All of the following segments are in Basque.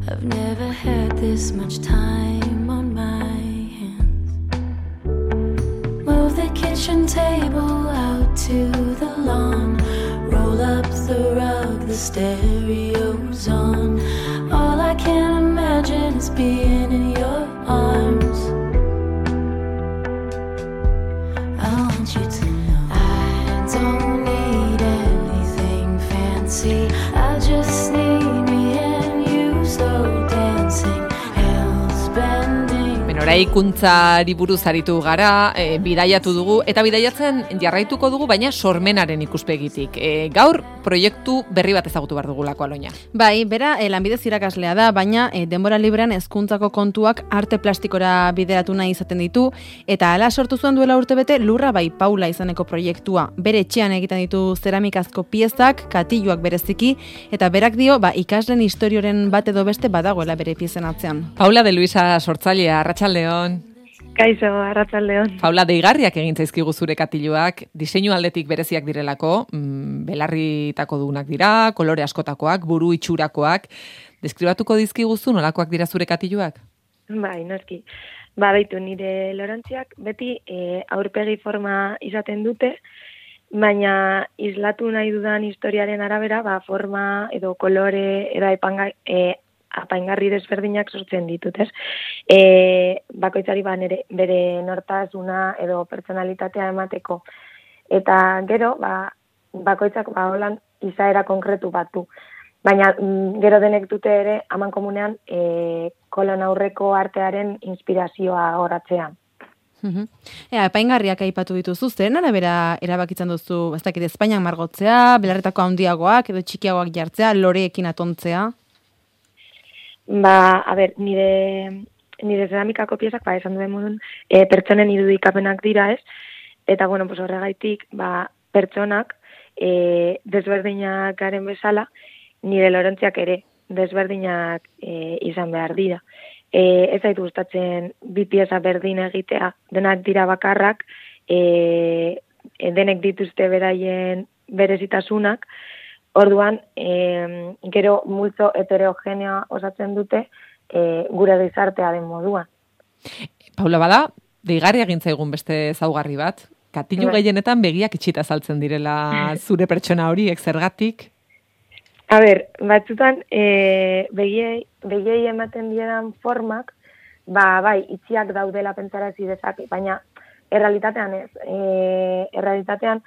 I've never had this much time on my hands. Move the kitchen table out to the lawn. Roll up the rug, the stereo's on. All I can imagine is being in your arms. I want you to know I don't need anything fancy. I just need me and you slow dancing, hills bending. Eraikuntzari buruz aritu gara, bidaiatu dugu, eta bidaiatzen jarraituko dugu, baina sormenaren ikuspegitik. Gaur proiektu berri bat ezagutu behar dugulako, Aloña. Bai, bera lanbidez irakaslea da, baina denbora librean hezkuntzako kontuak arte plastikora bideratu nahi izaten ditu, eta hala sortu zuen duela urtebete Lurra bai Paula izaneko proiektua. Bere etxean egiten ditu zeramikazko piezak, katiluak bereziki, eta berak dio, ikasleen historioren bat edo beste badagoela bere piezen atzean. Paula de Luisa sortzailea, arratsaldeon. Kaixo, arratsaldeon. Paula, deigarriak egin zaizkigu zure katiluak, diseinu aldetik bereziak direlako, belarritako dugunak dira, kolore askotakoak, buru itxurakoak. Deskribatuko dizkiguzu nolakoak dira zure katiluak? Bai, noski. Baitu nire lorantziak beti aurpegi forma izaten dute, baina islatu nahi dudan historiaren arabera, forma edo kolore edo apaingarri desberdinak sortzen ditut, ez? Bakoitzari bere nortasuna edo pertsonalitatea emateko. Eta gero, bakoitzak holan izaera konkretu bat du. Baina gero denek dute ere, aman komunean, kolon aurreko artearen inspirazioa horatzean. Apaingarriak aipatu dituzu, zeren arabera erabakitzen duzu, ez dakit Espainian margotzea, belarretako handiagoak edo txikiagoak jartzea, loreekin atontzea? Nire zeramikako piezak, esan duen modun, pertsonen irudikapenak dira, ez? Eta, horregaitik, pertsonak desberdinak garen bezala, nire lorentziak ere desberdinak izan behar dira. Ez zaitu gustatzen bi pieza berdin egitea, denak dira bakarrak, denek dituzte beraien berezitasunak, orduan, gero multzo heterogeneoa osatzen dute gure gizartea den moduan. Paula, bada, deigarria egin zaigun beste ezaugarri bat, katilu gehienetan begiak itxita saltzen direla zure pertsona horiek, zergatik? Batzutan, begiei ematen dieran formak, itxiak daudela pentsarazi dezake, baina errealitatean ez. Errealitatean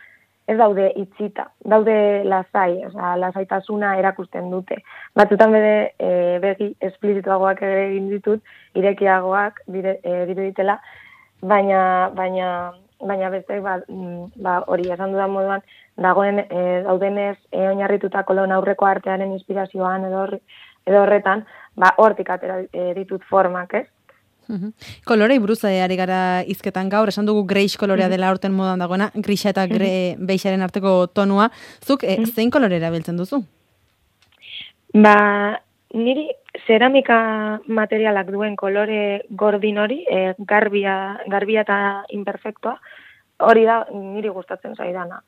ez daude itxita, daude lasai, lasaitasuna erakusten dute. Batzutan begi esplizituagoak ere egin ditut, irekiagoak diruditela, baina beste hori esan dudan moduan, daudenez oinarrituta kolon aurreko artearen inspirazioan edo horretan, hortik atera ditut formak, ez? Kolorei buruz ari gara hizketan gaur, esan dugu greix kolorea dela aurten modan dagoena, grisa eta beixaren arteko tonua. Zuk zein kolore erabiltzen duzu? Niri zeramika materialak duen kolore gordin hori, garbia eta imperfektua, hori da niri gustatzen zaidana.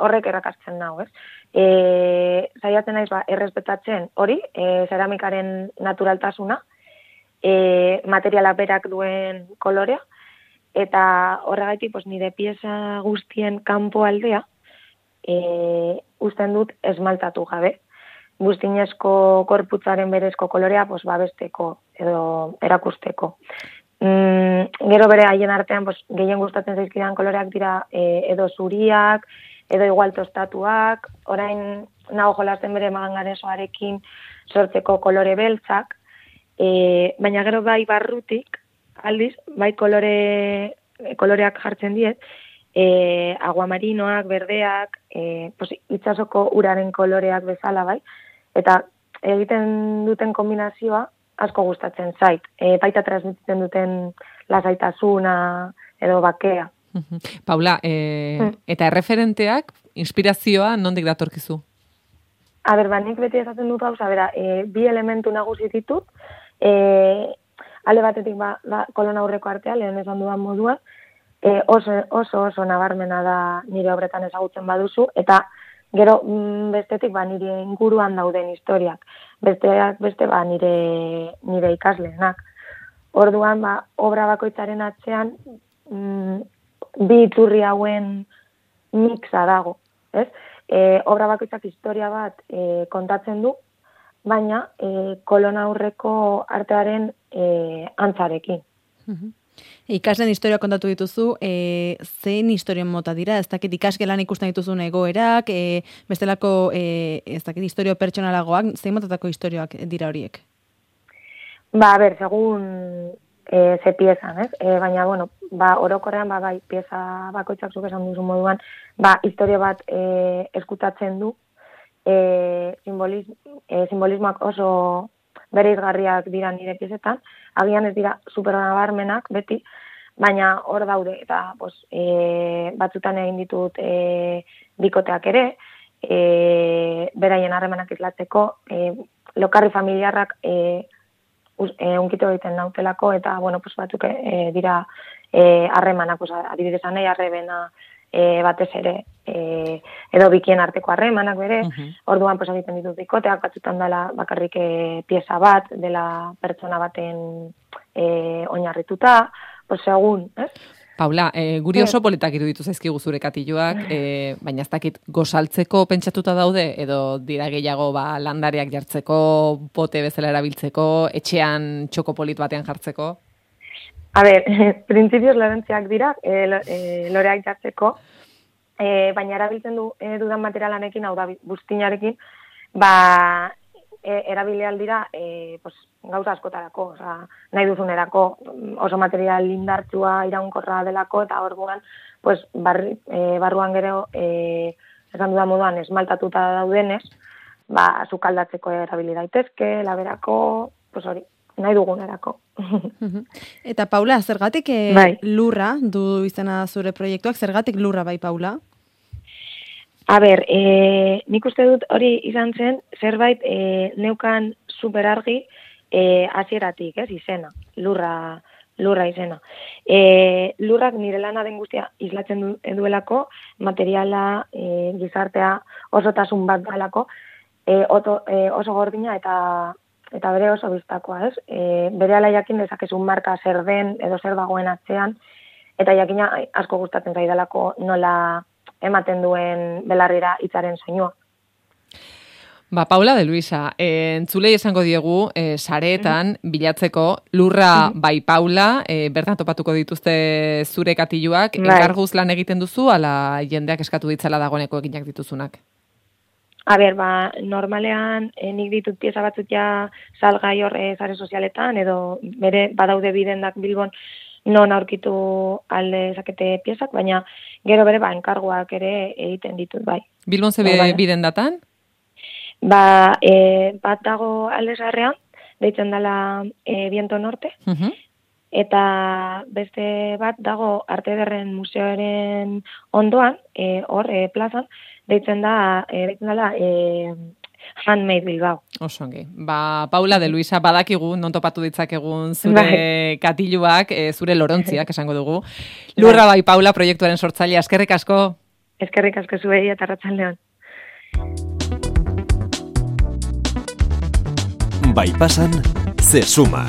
Horrek erakartzen nahu, ez? Zaiatzen naiz errespetatzen hori, zeramikaren naturaltasuna, materiala berak duen kolorea, eta horregaitik nire pieza guztien kanpo aldea usten dut esmaltatu gabe. Guztinezko korputzaren berezko kolorea babesteko edo erakusteko. Gero bere haien artean gehien gustatzen zaizkidan koloreak dira edo zuriak, edo igual tostatuak, orain nago jolasten bere manganesoarekin sortzeko kolore beltzak, baina gero barrutik, aldiz, koloreak jartzen diet, aguamarinoak, berdeak, itsasoko uraren koloreak bezala, eta egiten duten kombinazioa asko gustatzen zait. Baita transmititzen duten lasaitasuna edo bakea. Paula, eta erreferenteak, inspirazioa nondik datorkizu? Nik beti esaten dut gauza, bi elementu nagusi ditut, alde batetik kolon aurreko artea, lehen esan dudan modua, oso nabarmena da nire obretan ezagutzen baduzu, eta Gero bestetik nire inguruan dauden historiak, besteak beste nire ikasleenak. Orduan obra bakoitzaren atzean bi iturri hauen mixa dago, ez? Obra bakoitzak historia bat kontatzen du, baina kolon aurreko artearen antzarekin. Ikasleen historia kontatu dituzu, zein historien mota dira? Ez dakit ikasgelan ikusten dituzun egoerak, bestelako, ez dakit historio pertsonalagoak, zein motatako historioak dira horiek? Segun ze piezan, ez? Baina, orokorrean, bai, pieza bakoitzak zuk esan duzu moduan, historia bat eskutatzen du, simbolismoak oso bereizgarriak dira nire piezetan, agian ez dira supernabarmenak beti, baina hor daude, eta batzutan egin ditut bikoteak ere, beraien harremanak islatzeko, lokarri familiarrak unkito egiten nautelako, eta batzuk dira harremanak, adibidez nahi arrebena batez ere, edo bikien arteko harremanak bere, orduan egiten ditut bikoteak, batzutan dela bakarrik pieza bat, dela pertsona baten oinarrituta, segun, ez? Paula, guri oso politak iruditu zaizkigu zure katiluak, baina ez dakit gozaltzeko pentsatuta daude, edo dira gehiago landareak jartzeko, pote bezala erabiltzeko, etxean txoko polit batean jartzeko? Printzipioz lorentziak dira, loreak jartzeko, baina erabiltzen dudan materialanekin, hau da, buztinarekin, erabilial dira gauza askotarako, nahi duzunerako, oso material indartsua, iraunkorra delako, eta orduan, barruan gero, esan dudan moduan, esmaltatuta daudenez, sukaldatzeko erabili daitezke, laberako, hori, nahi dugunerako. Eta Paula, zergatik lurra du izena zure proiektuak, zergatik lurra bai, Paula? Nik uste dut hori izan zen, zerbait neukan superargi hasieratik, ez, izena, lurra izena. Lurrak nire lana den guztia islatzen duelako, materiala, gizartea, osotasun bat dalako, oso gordina eta bere oso biztakoa, ez? Berehala jakin dezakezun marka zer den edo zer dagoen atzean, eta jakina asko gustatzen zaidalako nola ematen duen belarrira hitzaren soinua. Paula de Luisa, entzulei esango diegu, sareetan bilatzeko lurra bai Paula, bertan topatuko dituzte zure katiluak, enkarguz lan egiten duzu, ala jendeak eskatu ditzala dagoeneko eginak dituzunak? Normalean nik ditut pieza batzuk ja salgai hor sare sozialetan, edo bere badaude bidendak Bilbon non aurkitu alde zakete piezak, baina gero bere enkarguak ere egiten ditut bai. Bilbon ze bidendatan? Bat dago alde zaharrean, deitzen dela Viento Norte, eta beste bat dago Arte Ederren Museoaren ondoan, hor plazan, deitzen dela Handmade Bilbao. Osongi. Paula de Luisa, badakigu, non topatu ditzakegun zure katiluak, zure lorontziak esango dugu. Lurra bai Paula proiektuaren sortzailea, eskerrik asko. Eskerrik asko zuei eta arratsaldeon. Bai pasan, ze suma.